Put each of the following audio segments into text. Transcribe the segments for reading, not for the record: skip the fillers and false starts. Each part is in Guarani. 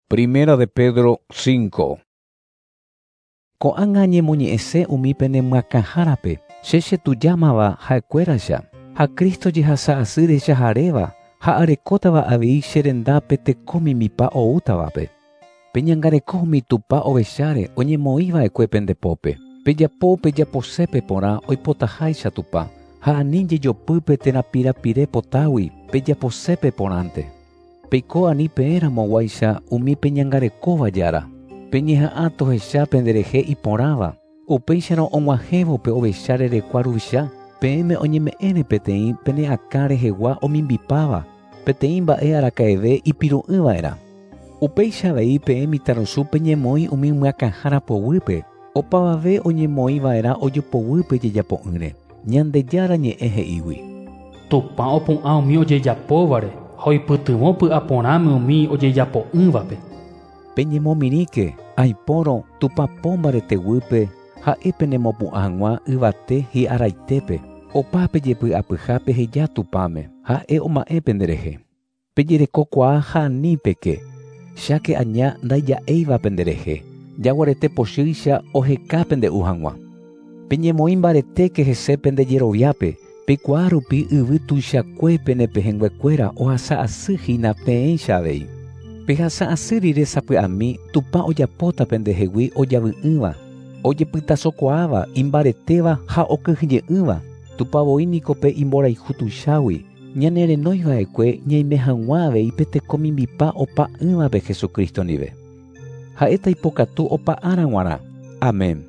Primera de Pedro 5. Ko'ág̃a añemoñe'ẽse umi pene myakãhárape, che chetujámava ha'ekuéraicha, ha Cristo jehasa asy rechaharéva ha arekótava avei che rendápe teko mimipa oútavape. Peñangareko umi Tupã ovecháre oñemoĩva'ekue pende pópe. Pejapo pejaposépe porã oipotaháicha Tupã, ha ani jejopýpe térã pirapire potágui pejaposépe porãnte. Peiko ani peẽramoguáicha umi peñangarekóva jára. Peñeha'ã tohecha penderehe iporãva. Upéicharõ og̃uahẽvo pe ovecha rerekua ruvicha, peẽme oñeme'ẽre peteĩ pene akã rehegua omimbipáva, peteĩ mba'e araka'eve ipiru'ỹva'erã. Upéicha avei peẽ mitãrusu peñemoĩ umi myakãhára poguýpe, opavave oñemoĩva'erã ojopoguýpe jejapo'ỹre. Ñandejára ñe'ẽ he'ígui. Tupã opu'ã umi ojejapóvare ha oipytyvõ py'aporãme umi ojejapo'ỹvape. Peñemomirĩke, aipórõ Tupã po mbareteguýpe ha'e penemopu'ã hag̃ua yvate hi'araitépe. Opa pejepy'apyha peheja Tupãme, ha'e oma'ẽ penderehe. Pejerekokuaa ha ani peke, cháke aña ndaija'éiva penderehe, jaguarete pochýicha oheka pende'u hag̃ua. Peñemoĩ mbaretéke hese pendejeroviápe, peikuaa rupi yvy tuichakue pene pehẽnguekuéra ohasa asy hína peẽicha avei. Pehasa asy rire sapy'ami Tupã ojapóta pendehegui ojavy'ỹva, ojepytasokuaáva, imbaretéva ha okyhyje'ỹva. Tupã voi niko pe imborayhu tuichágui, ñanerenoiva'ekue ñaime hag̃ua avei pe teko mimbipa opa'ỹvape Jesucristo ndive. Ha'éta ipokatu opa ára g̃uarã. Amén.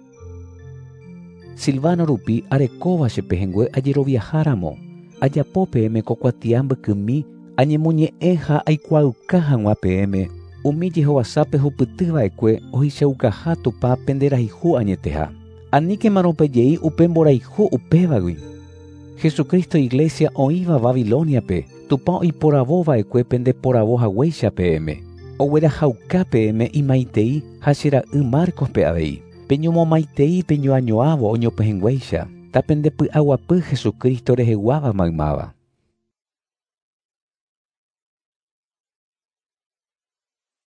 Silvano rupi arekóva che pehẽngue ajeroviaháramo, ajapo peẽme ko kuatia mbykymi añemoñe'ẽ ha aikuaauka hag̃ua peẽme umi jehovasápe hupytyva'ekue ohechaukaha Tupã penderayhu añeteha. Aníkemarõ pejei upe mborayhu upévagui. Jesucristo Iglesia oĩva Babiloniape, Tupã oiporavova'ekue pendeporavo haguéicha peẽme. Oguerahauka peẽme imaitei ha che ra'y Marcospe avei. Peñomomaitei peñoañoávo oñopehẽnguéicha, tapendepy'aguapy Jesucristo reheguáva maymáva.